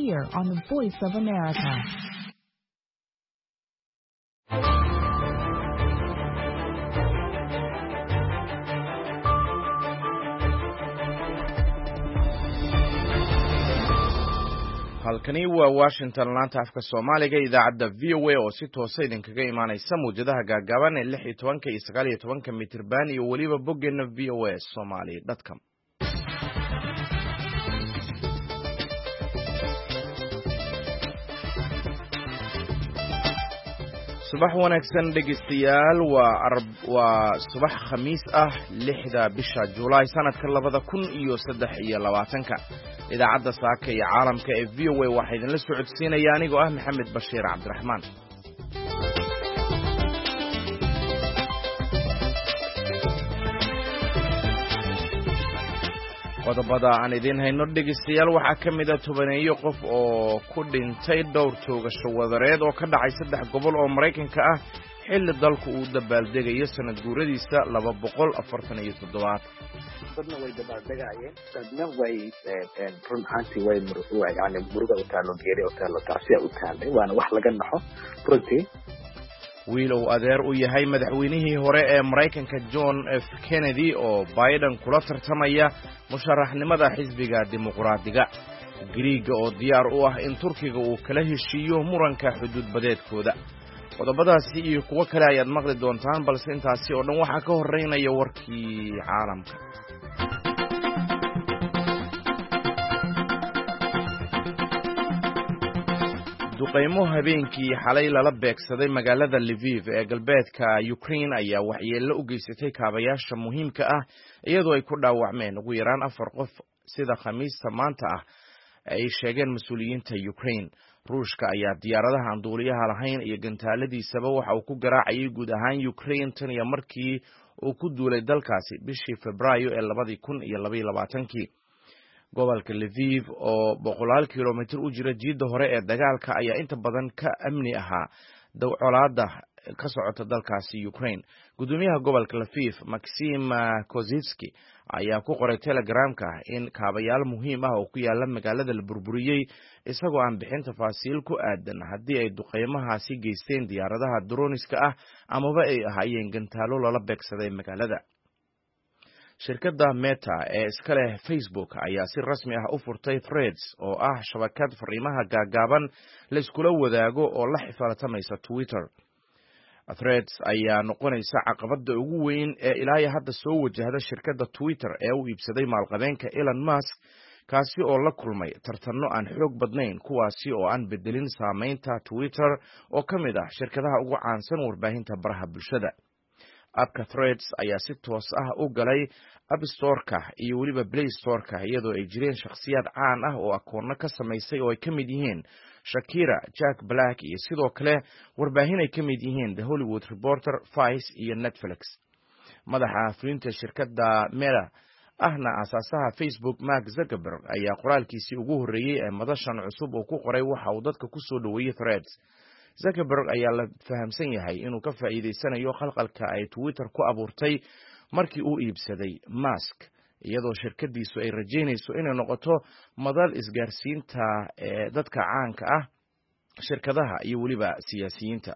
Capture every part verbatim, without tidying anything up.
here on the Voice of America. Halkani waa Washington, laanta afka Soomaaliga, idaacadda V O A oo si toosa idinkaga imaanaysa mawjadaha gaagaaban ee lix iyo tobanka iyo sagaal iyo tobanka mitirban iyo weliba boggeena V O A Somali dot com. Subax wanaagsan, dhegeystayaal. Waa waa subax Khamiis ah, lixda bisha Julaay, sanadka labada kun iyo saddex iyo labaatanka. Idaacadda saaka iyo caalamka ee V O A waxaa idinla socodsiinaya anigoo ah Maxamed Bashiir Cabdiraxmaan. Qodobada aan idiin hayno, dhegeystayaal, waxaa ka mid a tobaneeyo qof oo ku dhintay dhowr toogasho wadareed oo ka dhacay saddex gobol oo Maraykanka ah, xilli dalku uu dabaaldegayo sanad guuradiisa laba boqol afartan iyo toddobaad. Dadna way dabaaldegaayeen, dadna way run ahaantii way yani muruga u taalo, geeri u taalo, tacsiya u taalay, waana wax laga naxo runtii. Wiil uu adeer u yahay madaxweynihii hore ee Maraykanka John F Kennedy oo Biden kula tartamaya musharaxnimada xisbiga Dimuqraadiga. Giriiga oo diyaar u ah in Turkiga uu kala heshiiyo muranka xuduudbadeedkooda. Qodobadaasi iyo kuwo kale ayaad maqli doontaan, balse intaasi oo dhan waxaa ka horreynaya warkii caalamka. Duqaymo habeenkii xalay lala beegsaday magaalada Lviv ee galbeedka Ukraine ayaa waxyeello u geysatay kaabayaasha muhiimka ah, iyadoo ay ku dhaawacmeen ugu yaraan afar qof, sida Khamiista maanta ah ay sheegeen mas-uuliyiinta Ukraine. Ruushka ayaa diyaaradaha aan duuliyaha lahayn iyo gantaaladiisaba waxa uu ku garaacayay guud ahaan Ukraine tan iyo markii uu ku duulay dalkaasi bishii Febraayo ee labadii kun iyo labaiyo labaatankii. Gobolka Lviv oo boqolaal kilomitir u jira jiidda hore ee dagaalka ayaa inta badan ka amni ahaa colaadda ka socota dalkaasi Ukraine. Guddoomiyaha gobolka Lviv, Maxim Kozitsky, ayaa ku qoray Telegramka in kaabayaal muhiim ah oo ku yaala magaalada la burburiyey, isagoo aan bixin tafaasiil ku aadan haddii ay duqeymahaasi geysteen diyaaradaha droniska ah amaba ay ahaayeen gantaalo lala beegsaday magaalada. Shirkadda Meta ee iska leh Facebook ayaa si rasmi ah u furtay Threads, oo ah shabakad fariimaha gaagaaban la iskula wadaago oo la xifaaltamaysa Twitter. Threads ayaa noqonaysa caqabadda ugu weyn ee ilaa hadda soo wajahda shirkadda Twitter ee u iibsaday maalqabeenka Elon Musk, kaasi oo la kulmay tartanno aan xoog badnayn, kuwaasi oo aan bedelin saameynta Twitter oo ka mid ah shirkadaha ugu caansan warbaahinta baraha bulshada. App-ka Threads ayaa si toos ah u galay App Store-ka iyo weliba Play Store-ka, iyadoo ay jireen shakhsiyaad caan ah oo akoonno ka samaysay oo ay ka mid yihiin Shakira, Jack Black iyo sidoo kale warbaahin ay ka mid yihiin The Hollywood Reporter, Vice iyo Netflix. Madaxa fulinta shirkadda Meta ahna aasaasaha Facebook, Mark Zuckerberg, ayaa qoraalkiisii ugu horreeyey ee madashan cusub uu ku qoray waxa uu dadka ku soo dhoweeyey Threads. Zuckerberg ayaa la fahamsan yahay inuu ka faa'iidaysanayo khalkhalka ay Twitter ku abuurtay markii uu iibsaday Musk, iyadoo shirkadiisu ay rajaynayso inay noqoto madal isgaarsiinta ee dadka caanka ah, shirkadaha iyo weliba siyaasiyiinta.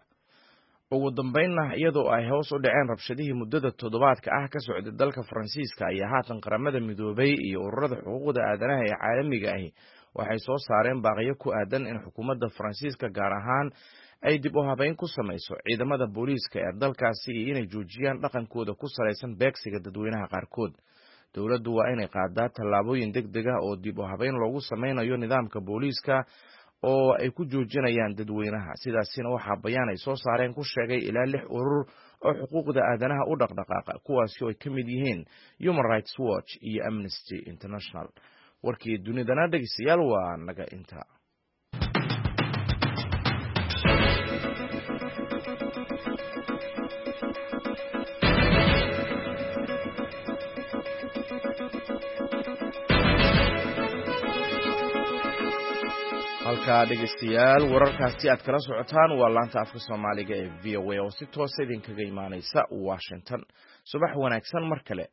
Ugu dambeynna, iyadoo ay hoos u dhaceen rabshadihii muddada toddobaadka ah ka socday dalka Faransiiska, ayaa haatan Qaramada Midoobay iyo ururada xuquuqda aadanaha ee caalamiga ahi waxay soo saareen baaqyo ku aadan in xukuumadda Faransiiska gaar ahaan ay dib u habeyn ku samayso ciidamada booliiska ee dalkaasi iyo inay joojiyaan dhaqankooda ku salaysan beegsiga dadweynaha qaarkood. Dowladdu waa inay qaadaa tallaabooyin deg deg ah oo dib u habeyn loogu sameynayo nidaamka booliiska oo ay ku joojinayaan dadweynaha. Sidaasina waxaa bayaan ay soo saareen ku sheegay ilaa lix urur oo xuquuqda aadanaha u dhaqdhaqaaqa, kuwaasi oo ay ka mid yihiin Human Rights Watch iyo Amnesty International. Warkii dunidana, dhegeystayaal, waa naga inta. Halkaa, dhegeystayaal, wararkaasi aad kala socotaan waa laanta afka Soomaaliga ee V O A oo si toosa idinkaga imaaneysa Washington. Subax wanaagsan mar kale.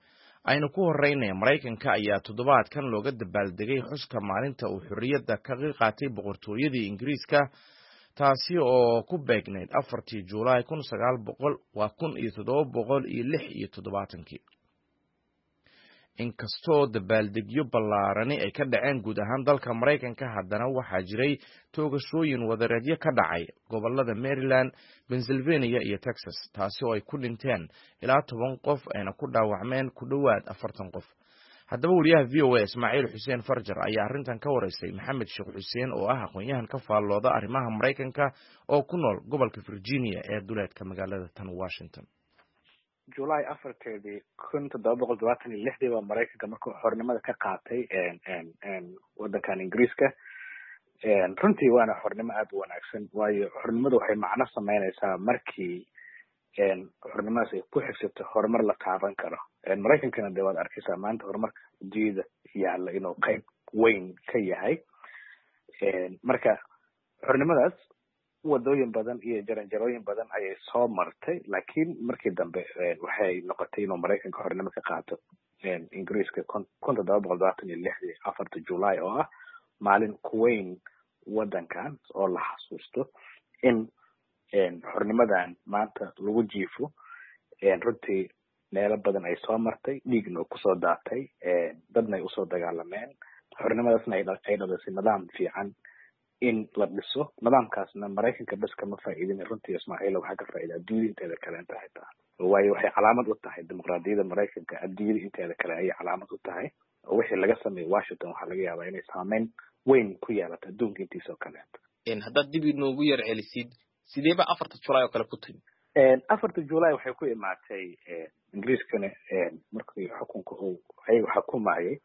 Aynu ku horeynaya Maraykanka ayaa toddobaadkan looga dabaaldegay xuska maalinta uu xorriyadda kaga qaatay boqortooyadii Ingiriiska, taasi oo ku beegnayd afartii Juulaay kun sagaal boqol waa kun iyo toddoba boqol iyo lix iyo toddobaatankii. Inkastoo dabaaldegyo ballaarani ay ka dhaceen guud ahaan dalka Maraykanka, haddana waxaa jiray toogashooyin wadareedyo ka dhacay gobolada Maryland, Pennsylvania iyo Texas, taasi oo ay ku dhinteen ilaa toban qof ayna ku dhaawacmeen ku dhowaad afartan qof. Haddaba wariyaha V O A Ismaaciil Xuseen Farjar ayaa arrintan ka wareysay Maxamed Sheekh Xuseen oo ah aqoon-yahan ka faallooda arrimaha Maraykanka oo ku nool gobolka Virginia ee duleedka magaalada tan Washington. July afarteedii kun toddoba boqol todobaatan iyo lixdii baa Maraykanka markuu xornimada ka qaatay wadankan Ingiriiska. Runtii waana xornimo aada u wanaagsan, waayo xornimadu waxay macno sameynaysaa markii xornimadaas ay ku xigsato horumar la taaban karo. Maraykankana dee waad arkaysaa maanta horumarka adduunyada yaalla inuu qayb weyn ka yahay. Marka xornimadaas wadooyin badan iyo jaranjarooyin badan ayay soo martay, laakiin markii dambe waxay noqotay inuu Maraykanka xornimo ka qaato Ingiriiska kun toddoba boqol todobaatan iyo lixdii afarta July, oo ah maalin kuweyn wadankan oo la xasuusto in xornimadan maanta lagu jiifo. Runtii meelo badan ay soo martay, dhiigna oo kusoo daatay, dadna ay usoo dagaalameen, xornimadaasna ay dhalisay nidaam fiican in la dhiso. Nidaamkaasna Maraykanka bes kama faa'iidin runtii Ismaaciil, waxaa ka faa'iida adduunyada inteeda kale inta xitaa, waayo waxay calaamad u tahay dimuqraadiyadda Maraykanka adduunyada inteeda kale ayay calaamad u tahay. Oo wixii laga sameeyey Washington waxaa laga yaabaa inay saameyn weyn ku yeelato adduunka intiisa oo kaleeto. Haddaad dib inoogu yar celisid, sidee ba afarta July oo kale ku timi? Afarta July waxay ku imaatay Ingiriiskana markii xukunka uu ayagu xukumayay,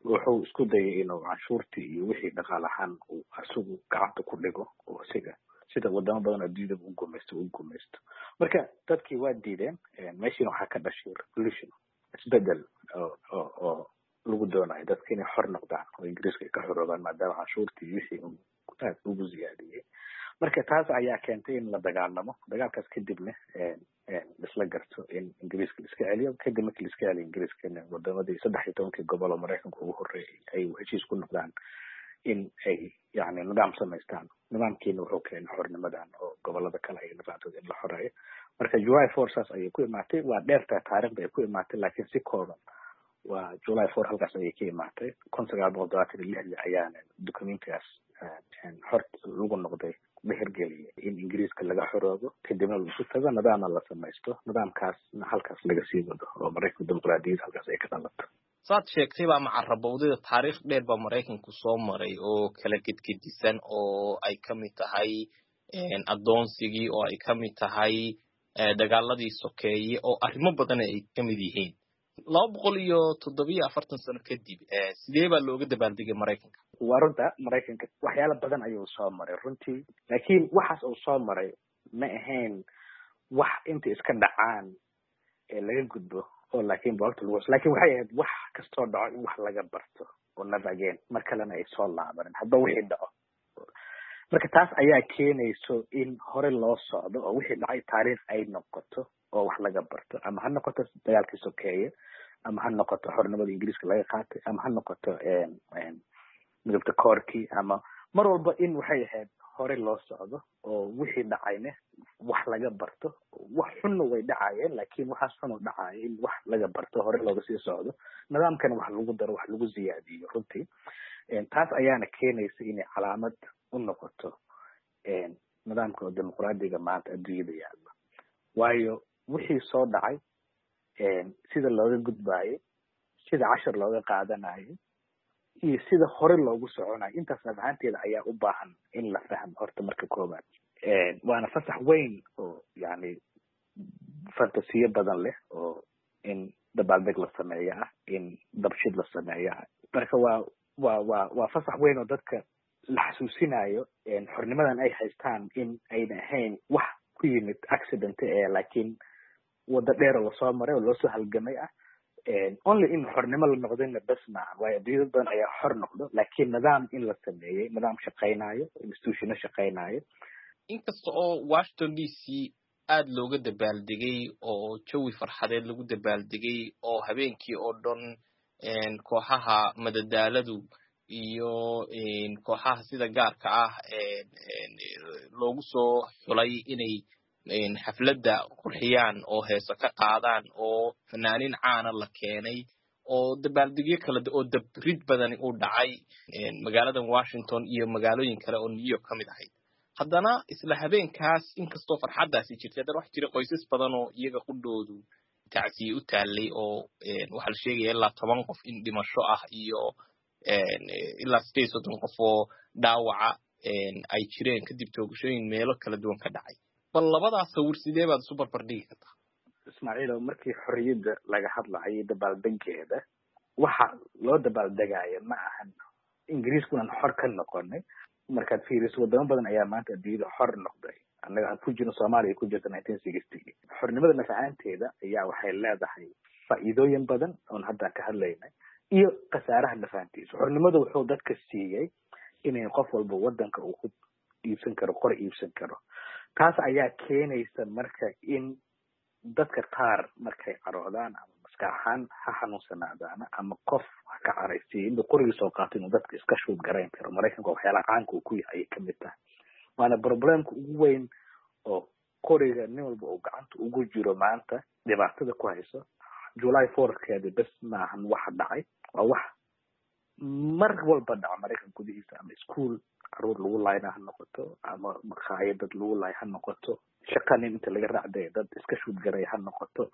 wuxuu isku dayay inuu canshuurtii iyo wixii dhaqaal ahaan uu isagu gacanta ku dhigo, oo isiga sida wadamo badan adduunyadaba u gumaysto u gumaysto. Marka dadkii waa diideen, meeshiina waxaa ka dhashay revolution, isbedel oo oo oo lagu doonayo dadka inay xor noqdaan oo Ingiriiska ay ka xoroobaan, maadaama canshuurtii iyo wixii uu aad ugu ziyaadiyey. Marka taas ayaa keentay in la dagaalamo. Dagaalkaas kadibna isla garto in Ingiriiska la iska celiyo. Kadib markii la iska celiyo Ingiriiskana, wadamadii saddex iyo tobankii gobol oo Maraykanka ugu horreeyay ay heshiis ku noqdaan in ay yacni nidaam samaystaan. Nidaamkiina wuxuu keenay xornimadan oo gobolada kale ay nidaamtooda in la xoreeyo. Marka July four saas ayay ku imaatay. Waa dheertaa taariikhda ay ku imaatay, laakiin si kooban waa July four halkaas ayay ka imaatay. kun sagaal boqol todobaatan iyo lixdii ayaana documentigaas xor lagu noqday la hirgeliyay in Ingiriiska laga xoroobo, kadibna laisu tago, nidaamna la samaysto, nidaamkaasna halkaas laga sii wado oo Maraykanka dimuqraadiyadda halkaas ay ka dhalato. Saad sheegtay baa macarabowdada taariikh dheer baa Maraykanku soo maray oo kala gedgedisan, oo ay kamid tahay addoonsigii, oo ay kamid tahay dagaaladii sokeeye, oo arrimo badan ay kamid yihiin. Laba boqol iyo toddobiyo afartan sano kadib, sidee baa looga dabaaldegay Maraykanka? Waa runta, Maraykanka waxyaalo badan ayuu soo maray runtii, laakiin waxaas uu soo maray ma ahayn wax inta iska dhacaan ee laga gudbo oo laakiin boogta lagu, laakiin waxay ahayd wax kastoo dhaco in wax laga barto oo never again mar kalena ay soo laabanin hadba wixii dhaco. Marka taas ayaa keenayso in hore loo socdo oo wixii dhacay taariikh ay noqoto oo wax laga barto, ama ha noqoto dagaalkii sokeeye, ama ha noqoto xornimada Ingiriiska laga qaatay, ama ha noqoto midabta koorkii, ama mar walba in waxay ahayd hore loo socdo oo wixii dhacayna wax laga barto. Wax xunna way dhacayeen, laakiin waxaas xun oo dhacaya in wax laga barto, hore looga sii socdo, nidaamkana wax lagu daro, wax lagu ziyaadiyo runtii. Taas ayaana keenaysa inay calaamad u noqoto nidaamka oo dimuqraadiga maanta adduunyada yaalla, waayo wixii soo dhacay sida looga gudbaayo, sida cashar looga qaadanayo, iyo sida hore loogu soconayo, intaas naf ahaanteeda ayaa u baahan in la fahmo horta marka koobaad. Waana fasax weyn oo yacni fantasiyo badan leh, oo in dabaaldeg la sameeyo ah, in dabshid la sameeyo ah. Marka waa waa waa waa fasax weyn oo dadka la xasuusinayo xornimadan ay haystaan in ayna ahayn wax ku yimid accident ee laakiin waddo dheer oo lasoo maray oo loosoo halgamay ah. Only in xornimo la noqdayna bes maaha, waayo adduunyada badan ayaa xor noqdo, laakiin nidaam in la sameeyey, nidaam shaqaynayo, institutiono shaqaynayo. Inkasta oo Washington D C Aad looga dabaaldegay oo jawi farxadeed lagu dabaaldegay oo habeenkii oo dhan kooxaha madadaaladu iyo kooxaha sida gaarka ah loogu soo xulay inay xafladda qurxiyaan oo heeso ka qaadaan oo fanaaniin caana la keenay oo dabaaldegyo kala oo dabrid badani uu dhacay magaaladan Washington iyo magaalooyin kale oo New York ka mid ahayd. Haddana isla habeenkaas, inkastoo farxaddaasi jirtay, haddana waxa jira qoysas badan oo iyaga qudhoodu tacsiye u taallay, oo waxaa la sheegaya ilaa toban qof in dhimasho ah iyo ilaa sideed soddon qof oo dhaawaca ay jireen kadib toogashooyin meelo kala duwan ka dhacay. Bal labadaas sawir sidee baad isu barbar dhigi kartaa? Ismaaciilo, markii xorriyadda laga hadlayo, dabaaldegeeda waxa loo dabaaldegaayo ma ahan Ingiriiskunan xor ka noqonay. Markaad fiiriso, wadamo badan ayaa maanta adduunyada xor noqday, annaga aan ku jirno, Soomaaliya ku jirta nineteen sixty. Xornimada nafahaanteeda ayaa waxay leedahay faa'iidooyin badan oon hadda ka hadlaynay iyo khasaaraha nafahantiisa. Xornimada wuxuu dadka siiyey inay qof walba wadanka uu ku iibsan karo, qor iibsan karo. Taas ayaa keenaysa marka in dadka qaar markay caroodaan ama maskax ahaan ha xanuunsanaadaan ama qof ha ka caraysiiyo, inuu qorigii soo qaato, inuu dadka iska shoot garayn karo. Maraykanka waxyaalaha caanka uu ku yahay ayay kamid tahay, waana problemka ugu weyn oo qoriga nin walba uu gacanta ugu jiro maanta dhibaatada ku hayso. July fourkeeda bes maahan waxa dhacay, waa wax mar walba dhaca Maraykan gudihiisa, ama school caruur lagu laayna ha noqoto, ama maqaayad dad lagu laay ha noqoto, shaqa nin inta laga raacday dad iska shoot garay ha noqoto.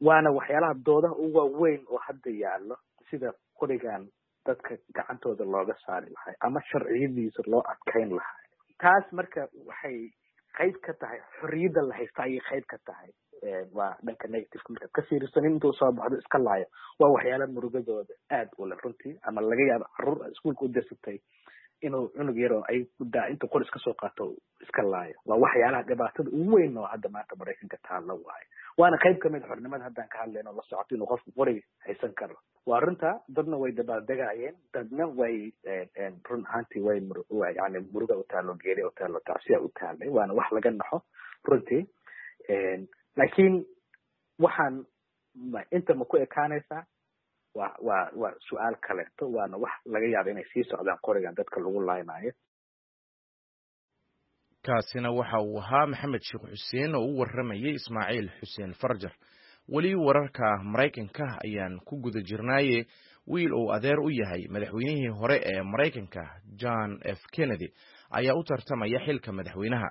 Waana waxyaalaha doodaha ugu waaweyn oo hadda yaallo, sida qorigan dadka gacantooda looga saari lahay ama sharciyadiisa loo adkayn lahay. Taas marka waxay qayb ka tahay xorriyadda la haysta ayay qayb ka tahay. Waa dhanka negativeka markaad ka fiiriso. Nin intuu soo baxdo iska laayo waa waxyaala murugadooda aad u leh runtii, ama laga yaabo carruur iskuulka u dirsatay inuu cunug yar oo ay daa intuu qor iska soo qaato iska laayo. Waa waxyaalaha dhibaatada ugu weyn oo hadda maanta Maraykanka taalla waayo, waana qayb kamid xornimada haddaan ka hadlayno la socoto inuu qofku qoriga haysan karo. Waa runta, dadna way dabaaldegayeen, dadna way run ahaantii way yani muruga u taalo, geeri u taalo, tacsiya u taalay, waana wax laga naxo runtii. Laakiin waxaan inta ma ku ekaanaysaa waa waa waa su-aal kaleeto, waana wax laga yaaba inay sii socdaan qorigan dadka lagu laynaayo. Kaasina waxa uu ahaa Maxamed Sheekh Xuseen oo u warramayay Ismaaciil Xuseen Farjar. Weli wararka Maraykanka ayaan ku guda jirnaaye, wiil uu adeer u yahay madaxweynihii hore ee Maraykanka John F Kennedy ayaa u tartamaya xilka madaxweynaha.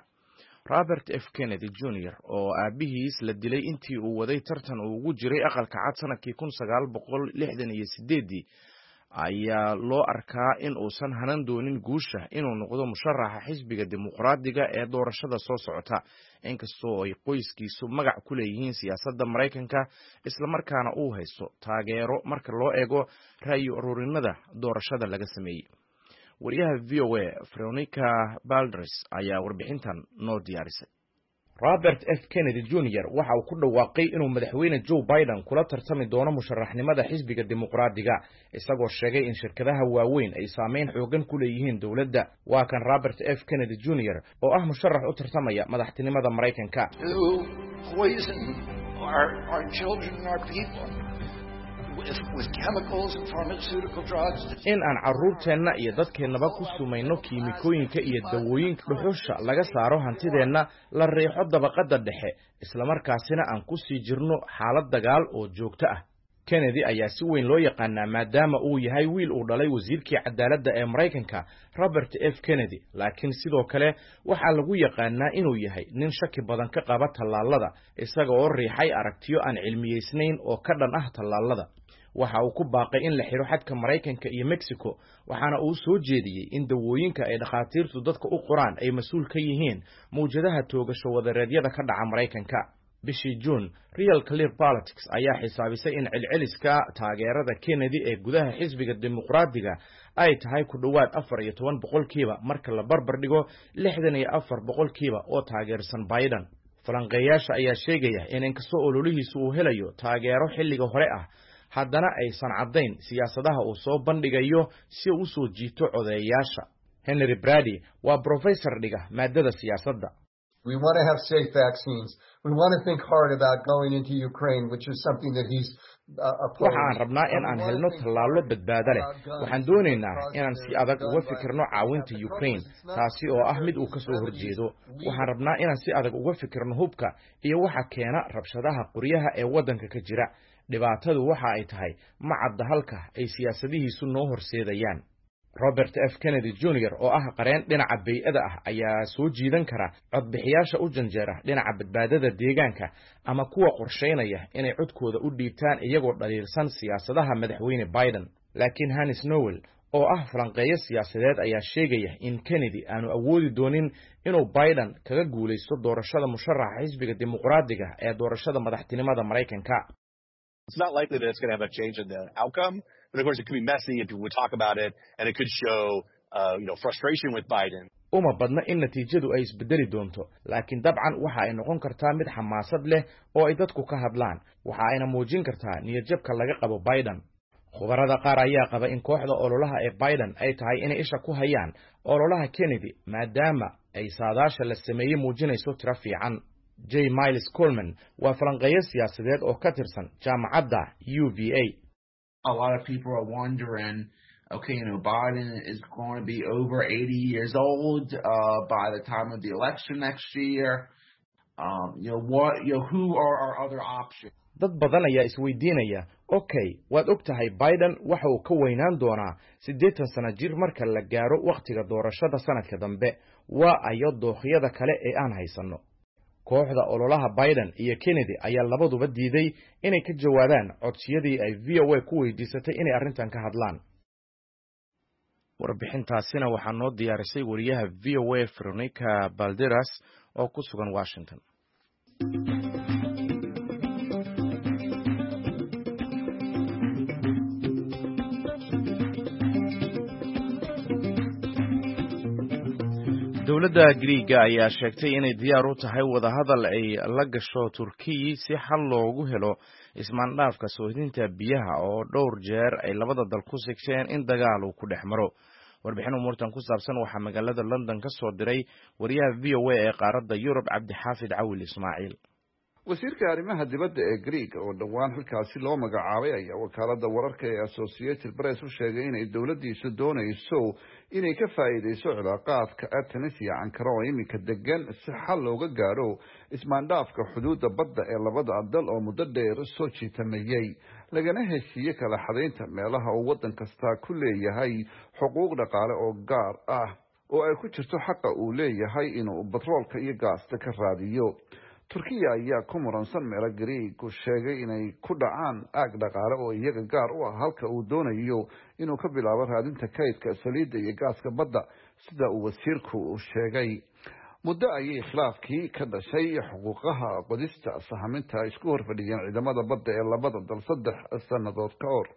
Robert F Kennedy Junior, oo aabihiis la dilay intii uu waday tartan uu ugu jiray Aqalka Cad sanadkii kun sagaal boqol lixdan iyo sideeddii, ayaa loo arkaa in uusan hanan doonin guusha inuu noqdo musharaxa xisbiga Dimuqraadiga ee doorashada soo socota, inkastoo ay qoyskiisu magac ku leeyihiin siyaasadda Maraykanka, islamarkaana uu haysto taageero marka loo eego ra'yi ururinada doorashada laga sameeyey. Wariyaha V O A Veronica Balderas ayaa warbixintan noo diyaarisay. Robert F Kennedy Junior waxa uu ku dhawaaqay inuu madaxweyne Joe Biden kula tartami doono musharaxnimada xisbiga Dimuqraadiga, isagoo sheegay in shirkadaha waaweyn ay saameyn xoogan ku leeyihiin dowladda. Waa kan Robert F Kennedy Junior oo ah musharax u tartamaya madaxtinimada Maraykanka. To poison our, our children and our people with, with chemicals and pharmaceutical drugs. In aan carruurteenna iyo dadkeennaba ku sumayno kiimikooyinka iyo dawooyinka, dhuxusha laga saaro, hantideenna la riixo dabaqadda dhexe, islamarkaasina aan ku sii jirno xaalad dagaal oo joogto ah. Kennedy ayaa si weyn loo yaqaanaa maadaama uu yahay wiil uu dhalay wasiirkii cadaaladda ee Maraykanka Robert F Kennedy, laakiin sidoo kale waxaa lagu yaqaanaa inuu yahay nin shaki badan ka qaba tallaalada, isaga oo riixay aragtiyo aan cilmiyeysnayn oo ka dhan ah tallaalada. Waxa uu ku baaqay in la xidho xadka Maraykanka iyo Mexico, waxaana uu soo jeediyey in dawooyinka ay dhakhaatiirtu dadka u qoraan ay mas-uul ka yihiin mawjadaha toogasho wadareedyada ka dhaca Maraykanka. Bishii Juun, Real Clear Politics ayaa xisaabisay in celceliska taageerada Kennedy ee gudaha xisbiga Dimuqraadiga ay tahay ku dhowaad afar iyo toban boqolkiiba marka la barbar dhigo lixdan iyo afar boqolkiiba oo taageersan Biden. Falanqeeyaasha ayaa sheegaya in inkastoo ololihiisu uu helayo taageero xilliga hore ah, haddana aysan caddayn siyaasadaha uu soo bandhigayo si uu usoo jiito codeeyaasha. Henry Brady waa professor dhiga maadada siyaasadda. We want to have safe vaccines. We want to think hard about going into Ukraine, which is something that he's Waxa aan rabnaa in aan helno tallaallo badbaado leh. Waxaan doonaynaa inaan si adag uga fikirno caawinta Ukraine, taasi oo ah mid uu ka soo horjeedo. Waxaan rabnaa inaan si adag uga fikirno hubka iyo waxa keena rabshadaha qoryaha ee waddanka ka jira. Dhibaatadu waxa ay tahay ma cadda halka ay siyaasadihiisu noo horseedayaan. Robert F Kennedy Junior oo ah qareen dhinaca bey'ada ah ayaa soo jiidan kara codbixiyaasha u janjeera dhinaca badbaadada deegaanka ama kuwa qorshaynaya inay codkooda u dhiibtaan iyagoo dhaliilsan siyaasadaha madaxweyne Biden. Laakiin Hannes Nowel oo ah falanqeeyo siyaasadeed ayaa sheegaya in Kennedy aanu awoodi doonin inuu Biden kaga guulaysto doorashada musharaxa xisbiga Dimuqraadiga ee doorashada madaxtinimada Maraykanka. It's not likely that it's going to have a change in the outcome, but of course it could be messy and people would talk about it, and it could show, uh, you know, frustration with Biden. Uma badna in natiijadu ay isbedeli doonto, laakiin dabcan waxa ay noqon kartaa mid xamaasad leh oo ay dadku ka hadlaan, waxa ayna muujin kartaa niyadjabka laga qabo Biden. Khubarada qaar ayaa qaba in kooxda ololaha ee Biden ay tahay inay isha ku hayaan ololaha Kennedy, maadaama ay saadaasha la sameeyey muujinayso tiro fiican. J Miles Coleman waa falanqeeyo siyaasadeed oo ka tirsan jaamacadda U V A. A lot of people are wondering, okay, you know, Biden is going to be over eighty years old uh, by the time of the election next year. Um, you know, what, you know, who are our other options? Dad badan ayaa isweydiinaya, okay, waad og tahay Biden waxa uu ka weynaan doonaa siddeetan sano jir marka la gaaro wakhtiga doorashada sanadka dambe. Waa ayo dookhiyada kale ee aan haysanno? Kooxda ololaha Biden iyo Kennedy ayaa labaduba diiday inay ka jawaabaan codsiyadii ay V O A ku weydiisatay inay arrintan ka hadlaan. Warbixintaasina waxaa noo diyaarisay wariyaha V O A Veronica Balderas oo ku sugan Washington. Dowladda Griiga ayaa sheegtay inay diyaar u tahay wadahadal ay la gasho Turkiyi si xal loogu helo ismaandhaafka soohdinta biyaha oo dhowr jeer ay labada dal ku sigteen in dagaal uu ku dhex maro. Warbixin umuurtan ku saabsan waxaa magaalada London ka soo diray wariyaha V O A ee qaaradda Yurub, Cabdixaafid Cawil Ismaaciil. Wasiirka arrimaha dibadda ee Greeg oo dhowaan xilkaasi loo magacaabay ayaa wakaalada wararka ee Associated Press u sheegay inay dowladdiisu doonayso inay ka faa'iideyso cilaaqaadka Athens iyo Ankara oo iminka degan, si xal looga gaadho ismaandhaafka xuduudda badda ee labada dal oo muddo dheer soo jiitamayey, lagana heshiiye kala xadaynta meelaha uu waddan kasta ku leeyahay xuquuq dhaqaale oo gaar ah, oo ay ku jirto xaqa uu leeyahay inuu batroolka iyo gaasta ka raadiyo. Turkiya ayaa ku muransan meelo Greegu sheegay inay ku dhacaan aag dhaqaale oo iyaga gaar u ah, halka uu doonayo inuu ka bilaabo raadinta kaydka saliidda iyo gaaska badda, sida uu wasiirku sheegay. Muddo ayay khilaafkii ka dhashay xuquuqaha qodista sahaminta isku horfadhiyeen ciidamada badda ee labada dal saddex sannadood ka hor.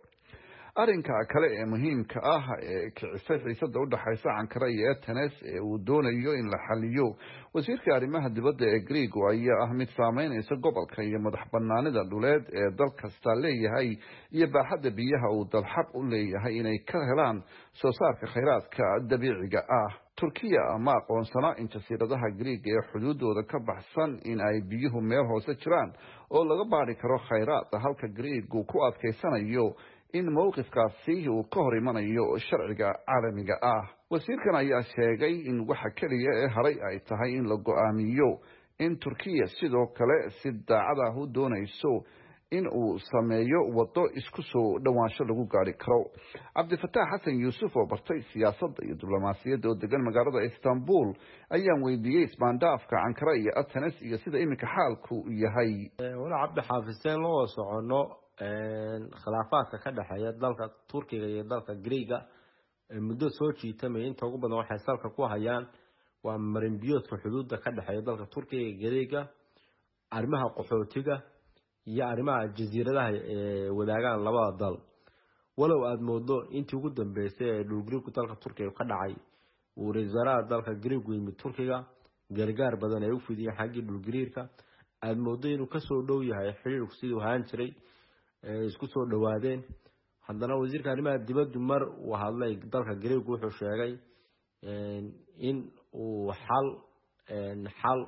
Arrinka kale ee muhiimka ah ee kicisay xiisada u dhexaysa Ankara iyo Athens ee uu doonayo in la xaliyo wasiirka arrimaha dibadda ee Greegu ayaa ah mid saameynaysa gobolka iyo madax banaanida dhuleed ee dal kasta leeyahay iyo baaxadda biyaha uu dal xaq u leeyahay inay ka helaan soo saarka khayraadka dabiiciga ah. Turkiya ma aqoonsana in jasiiradaha Greeg ee xuduudooda ka baxsan in ay biyuhu meel hoose jiraan oo laga baari karo khayraad, halka Greegu ku adkaysanayo in mowqifkaasi uu ka hor imanayo sharciga caalamiga ah. Wasiirkan ayaa sheegay in waxa keliya ee haray ay tahay in la go-aamiyo in Turkiya sidoo kale si daacad ah u doonayso in uu sameeyo waddo isku soo dhowaansho lagu gaari karo. Cabdifataax Xasan Yuusuf oo bartay siyaasadda iyo diblomaasiyadda oo degan magaalada Istanbul ayaan weydiiyey ismaandhaafka Ankara iyo Athens iyo sida iminka xaalku yahay. Walaa Cabdi Xaafiseen, loo socono khilaafaadka ka dhexeeya dalka Turkiga iyo dalka Greega muddo soo jiitamaya, inta ugu badan waxay salka ku hayaan waa marinbiyoodka xuduudda ka dhexeeya dalka Turkiga iyo Greega, arrimaha qaxootiga iyo arrimaha jasiiradaha ee wadaagaan labada dal. Walow aada moodo intii ugu dambeysay ee dhulgariirku dalka Turkiga ka dhacay uu ra-iisul wasaaraha dalka Greegu yimid Turkiga, gargaar badan ay u fidiyeen xaggii dhulgariirka, aada moodo inuu kasoo dhow yahay xiriirku siduu ahaan jiray, isku soo dhowaadeen. Haddana wasiirka arrimaha dibaddu mar uu hadlay dalka Greegu wuxuu sheegay in uu xal xal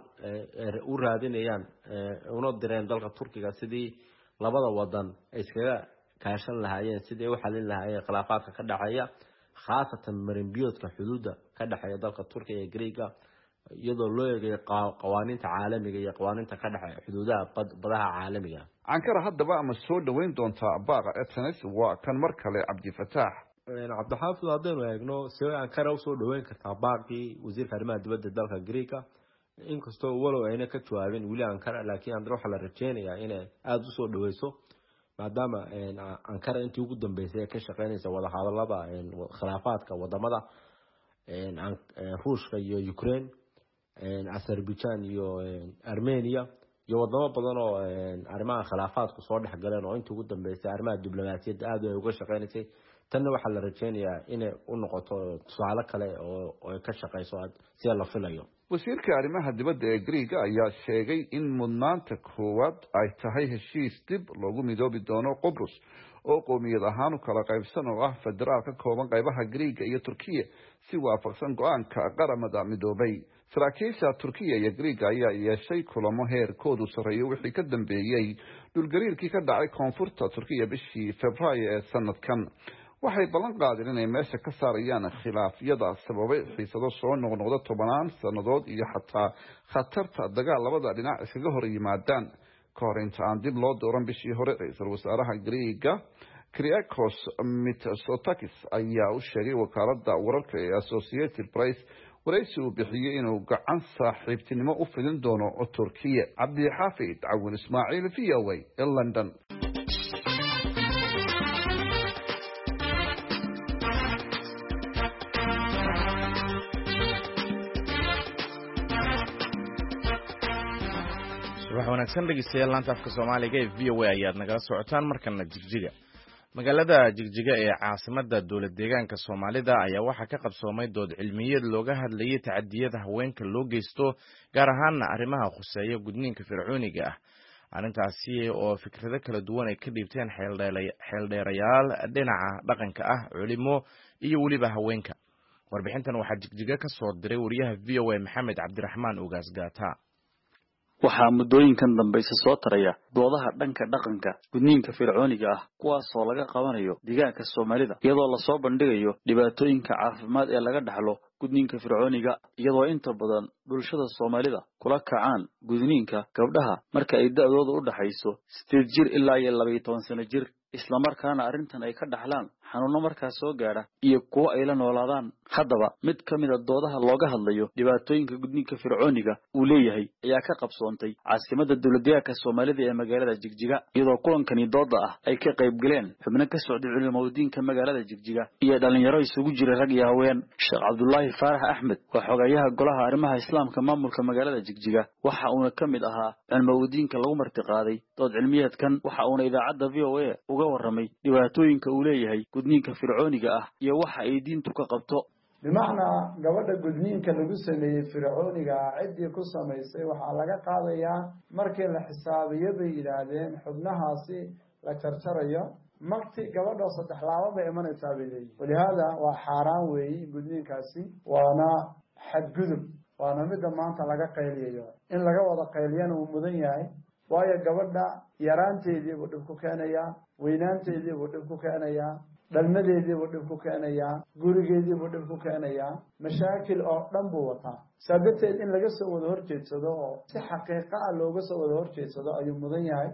u raadinayaan una direen dalka Turkiga sidii labada wadan ay iskaga kaashan lahaayeen sidii ay u xalin lahaayeen khilaafaadka ka dhexeeya, khaasatan marinbiyoodka xuduudda ka dhexeeya dalka Turkiga iyo Greega, iyadoo loo eegayo qawaaniinta caalamiga iyo qawaaniinta ka dhexeeya xuduudaha badaha caalamiga. Ankara haddaba ama soo dhoweyn doontaa baaqa Athens? Waa kan mar kale Cabdifataax. Cabdixaafid, haddaynu eegno see Ankara usoo dhoweyn kartaa baaqii wasiirka arrimaha dibadda dalka Greega, inkastoo walow ayna ka jawaabin weli Ankara, laakiin haddana waxaa la rajeynayaa inay aada usoo dhoweyso, maadaama Ankara intii ugu dambeysay ay ka shaqeynaysa wadahadalada khilaafaadka wadamada Ruushka iyo Ukraine, Azerbaijan iyo Armenia iyo wadamo badan oo arrimaha khilaafaadku soo dhex galeen, oo intii ugu dambeysay arrimaha diblomaasiyadda aada ay uga shaqeynaysay. Tanna waxaa la rajeynayaa inay u noqoto tusaale kale oo ay ka shaqeyso sida la filayo. Wasiirka arrimaha dibadda ee Greega ayaa sheegay in mudnaanta koowaad ay tahay heshiis dib loogu midoobi doono Qobrus oo qowmiyad ahaan u kala qaybsan oo ah federaal ka kooban qaybaha Greega iyo Turkiya si waafaqsan go-aanka Qaramada Midoobay. Saraakiisha Turkiya iyo Greega ayaa yeeshay kulamo heerkoodu sarreeyo wixii ka dambeeyey dhulgariirkii ka dhacay koonfurta Turkiya bishii Febraayo ee sanadkan. Waxay ballan qaadeen inay meesha ka saarayaan khilaafyada sababay xiisado soo noqnoqda tobanaan sannadood iyo xataa khatarta dagaal labada dhinac iskaga hor yimaadaan. Ka hor inta aan dib loo dooran bishii hore, ra-iisul wasaaraha Greega Kyriakos Mitsotakis ayaa u sheegay wakaaladda wararka ee Associated Press waraysi uu bixiyey inuu gacan saaxiibtinimo u fidin doono Turkiya. Cabdixaafid Cawin Ismaaciil, V O A, ee London. Subax wanaagsan dhegeystayaal, laanta afka Soomaaliga ee V O A ayaad nagala socotaan. Markana Jigjiga. Magaalada Jigjiga ee caasimada dowlad deegaanka Soomaalida ayaa waxaa ka qabsoomay dood cilmiyeed looga hadlayay tacadiyada haweenka loo geysto, gaar ahaana arrimaha khuseeya gudniinka fircooniga ah. Arrintaasi oo fikrado kala duwan ay ka dhiibteen xeeldheerayaal dhinaca dhaqanka ah, culimo iyo weliba haweenka. Warbixintan waxaa Jigjiga ka soo diray wariyaha V O A Maxamed Cabdiraxmaan Ogaas Gaata. Waxaa muddooyinkan dambayse soo taraya doodaha dhanka dhaqanka gudniinka fircooniga ah, kuwaasoo laga qabanayo deegaanka Soomaalida, iyadoo lasoo bandhigayo dhibaatooyinka caafimaad ee laga dhaxlo gudniinka fircooniga, iyadoo inta badan bulshada Soomaalida kula kacaan gudniinka gabdhaha marka ay da'doodu u dhaxayso sideed jir ilaa iyo laba iyo toban sano jir, islamarkaana arrintan ay ka dhaxlaan xanuuno markaas soo gaadha iyo kuwo ay la noolaadaan. Haddaba mid ka mid a doodaha looga hadlayo dhibaatooyinka gudniinka fircooniga uu leeyahay ayaa ka qabsoontay caasimadda dowladdeegaanka Soomaalida ee magaalada Jigjiga, iyadoo kulankani dooda ah ay ka qayb galeen xubno ka socday culimadiinka magaalada Jigjiga iyo dhalinyaro isugu jira rag iyo haween. Sheekh Cabdullaahi Faarax Axmed waa xogayaha golaha arrimaha islaamka maamulka magaalada Jigjiga, waxa uuna ka mid ahaa culimadiinka lagu martiqaaday dood cilmiyeedkan, waxa uuna idaacadda V O A uga warramay dhibaatooyinka uu leeyahay gudniinka fircooniga ah iyo waxa ay diintu ka qabto. Bimacnaa gabadha gudniinka lagu sameeyey fircooniga ah ciddii ku samaysay waxaa laga qaadayaa markii la xisaabiyo bay yidhaahdeen xubnahaasi la jarjarayo magti gabadhoo saddex laaba bay imanaysaa bay leeyihin. Walihaada waa xaaraan weeyi gudniinkaasi, waana xadgudub, waana midda maanta laga qayliyayo. In laga wada qayliyana wuu mudan yahay, waayo gabadha yaraanteedii buu dhib ku keenayaa, weynaanteedii buu dhib ku keenayaa, dhalmadeedii buu dhib ku keenayaa, gurigeedii buu dhib ku keenayaa, mashaakil oo dhan buu wataa. Saa darteed in laga soo wada horjeedsado oo si xaqiiqa ah looga soo wada horjeedsado ayuu mudan yahay.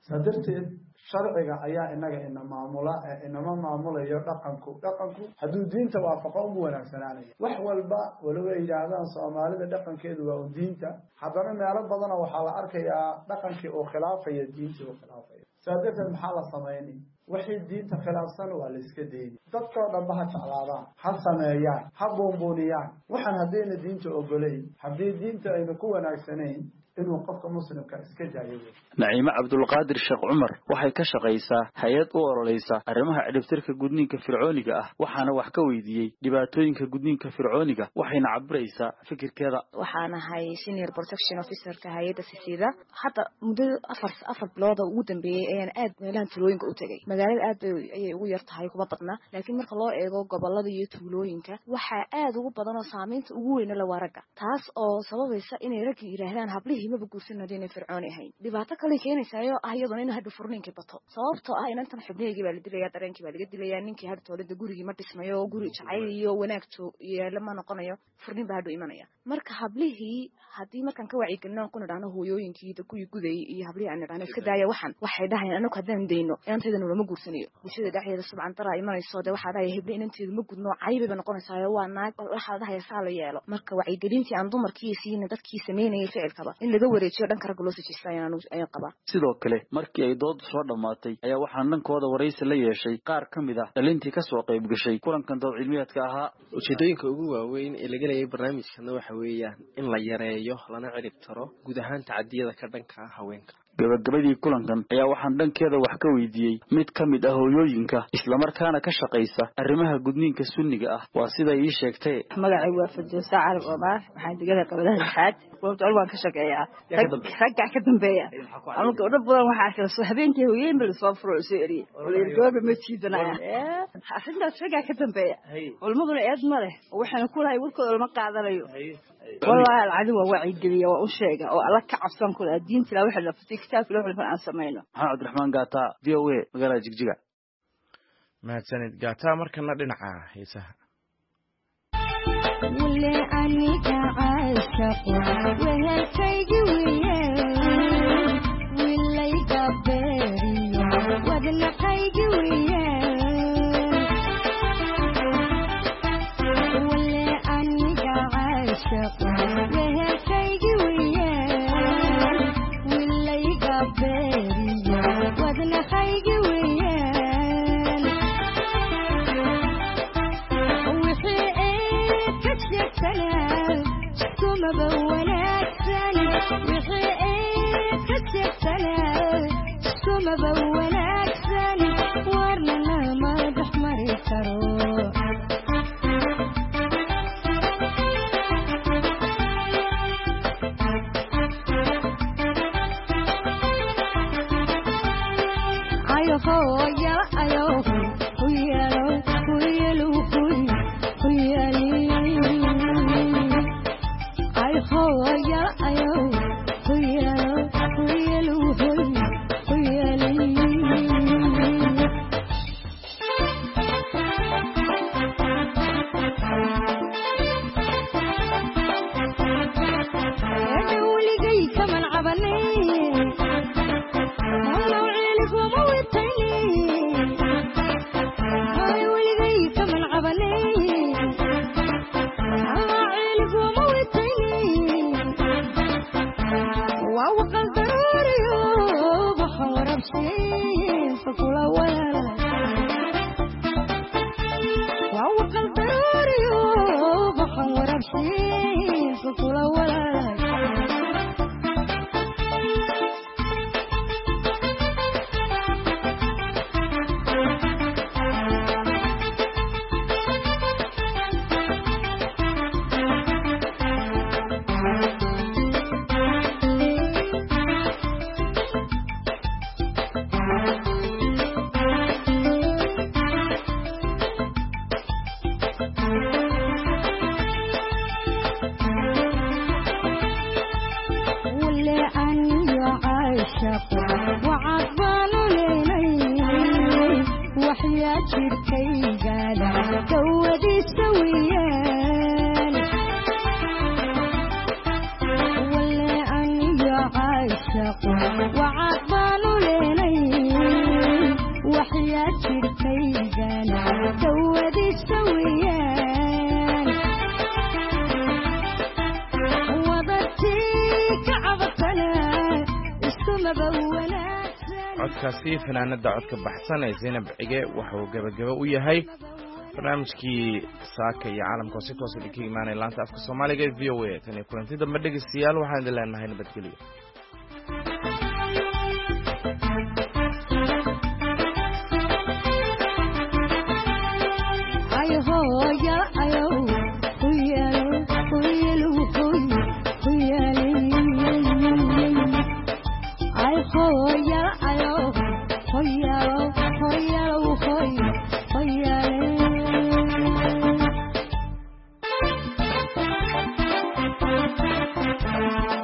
Saa darteed sharciga ayaa inaga ina maamula ee inama maamulayo dhaqanku. Dhaqanku hadduu diinta waafaqo unbu wanaagsanaanaya. Wax walba walow ay yidhaahdaan Soomaalida dhaqankeedu waa un diinta, haddana meelo badana waxaa la arkayaa dhaqankii uu khilaafayo diintii uu khilaafayo. Saa darteed maxaa la samaynay? Wixii diinta khilaafsan waa la iska dayni. Dadkoo dhanba ha jeclaadaan, ha sameeyaan, ha buunbuuniyaan. Waxaan haddayna diinta ogolayn, haddii diinta ayna ku wanaagsanayn, inuu qofka muslimka iska daayo. Naciime Cabdulqaadir Sheekh Cumar waxay ka shaqaysaa hay-ad u ololeysa arrimaha ciribtirka gudniinka fircooniga ah, waxaana wax ka weydiiyey dhibaatooyinka gudniinka fircooniga, waxayna cabiraysaa fikirkeeda. Waxaan ahay senior protection officerka hay-adda sisida. Hadda muddo afar afar bilooda ugu dambeeyey ayaan aad meelahan tuulooyinka u tegay. Magaalada aad bay ayay ugu yar tahay, kuma badna, laakiin marka loo eego gobolada iyo tuulooyinka waxaa aad ugu badan oo saameynta ugu weyna la waa ragga, taas oo sababaysa inay ragga yidhaahdaan hablihii maba guursan haddii inay fircooni ahayn. Dhibaato kale keenaysaayo ah iyaduna in hadhu furniinkii bato, sababtoo ah inantan xubnihaygii baa la dilaya, dareenkii baa laga dilaya, ninkii hadhu toolada gurigii ma dhismayo, guri jacayl iyo wanaag yeelo ma noqonayo, furnin baa hadhu imanaya. Marka hablihii haddii markaan ka wacyigelino aan ku nidhaahno hooyooyinkii kuwii gudayay iyo hablihii aan nidhaahno iska daaya waxan, waxay dhahayaan anagu haddaan dayno inanteedana lama guursanayo. Bulshada dhexdeeda subcan daraa imanayso, dee waxaa dhahaya heble inanteedu ma gudno, caybayba noqonaysaayo, waa naag, waxaa dhahaya saa la yeelo. Marka wacyigelintii aan dumarkii siina dadkii sameynayay ficilkaba in laga wareejiyo dhanka ragga loo sijista ayaan ayaan qabaa. Sidoo kale markii ay doodu soo dhammaatay ayaa waxaan dhankooda waraysi la yeeshay qaar ka mid ah dhalintii ka soo qayb gashay kulankan dood cilmiyeedka ahaa. Ujeedooyinka ugu waaweyn ee laga leeyahay barnaamijkana waxa weeyaan in la yareeyo lana cirib taro guud ahaan tacadiyada ka dhanka ah haweenka. Gabagabadii kulankan ayaa waxaan dhankeeda wax ka weydiiyey mid ka mid ah hooyooyinka islamarkaana ka shaqaysa arrimaha gudniinka sunniga ah, waa siday ii sheegtay. Magacay waa Fardoosa Carab Omar, waxaan deganaa qabadaha lixaad, goobta col waan ka shaqeeyaa, raggaa ka dambeeya. Anu gabdho badan waxaa kala soo habeenkii hooyooyin ba lasoo furo oo soo eriyey, gabadha ma jiidanaya, arrintaas raggaa ka dambeeya. Culmaduna eed ma leh, waxaana ku lahay warkooda lama qaadanayo. Wallaahi alcadi waa wacyigeliya, waa u sheega oo alla ka cabsan ku lahaa diinta ilaa waxa la fatay kitaabka ilaa waxa aan samayno. Maxamed Cabdiraxmaan Gaata, V O A, magaalada Jigjiga. Mahadsanid Gaata. Markana dhinaca heesaha. Wule aniga caashaqo wehelkaygi wiye wilayga beeriyo wadnaqaygi wiye wule aniga caashaqo wehelkaygi wiye wilayga beeriyo wadnaqaygi wiye Codkaasi fanaanada codka baxsan ee Zaynab Cige wuxuu gabagaba u yahay barnaamijkii saaka iyo caalamka oo si toos ah idinkaga imaanaya laanta afka Soomaaliga ee V O A. Tan iyo kulanti dambe dhegeystayaal, waxaan idin leenahay nabadgelyo. Ayo, ayo, ayo. Maraykanka.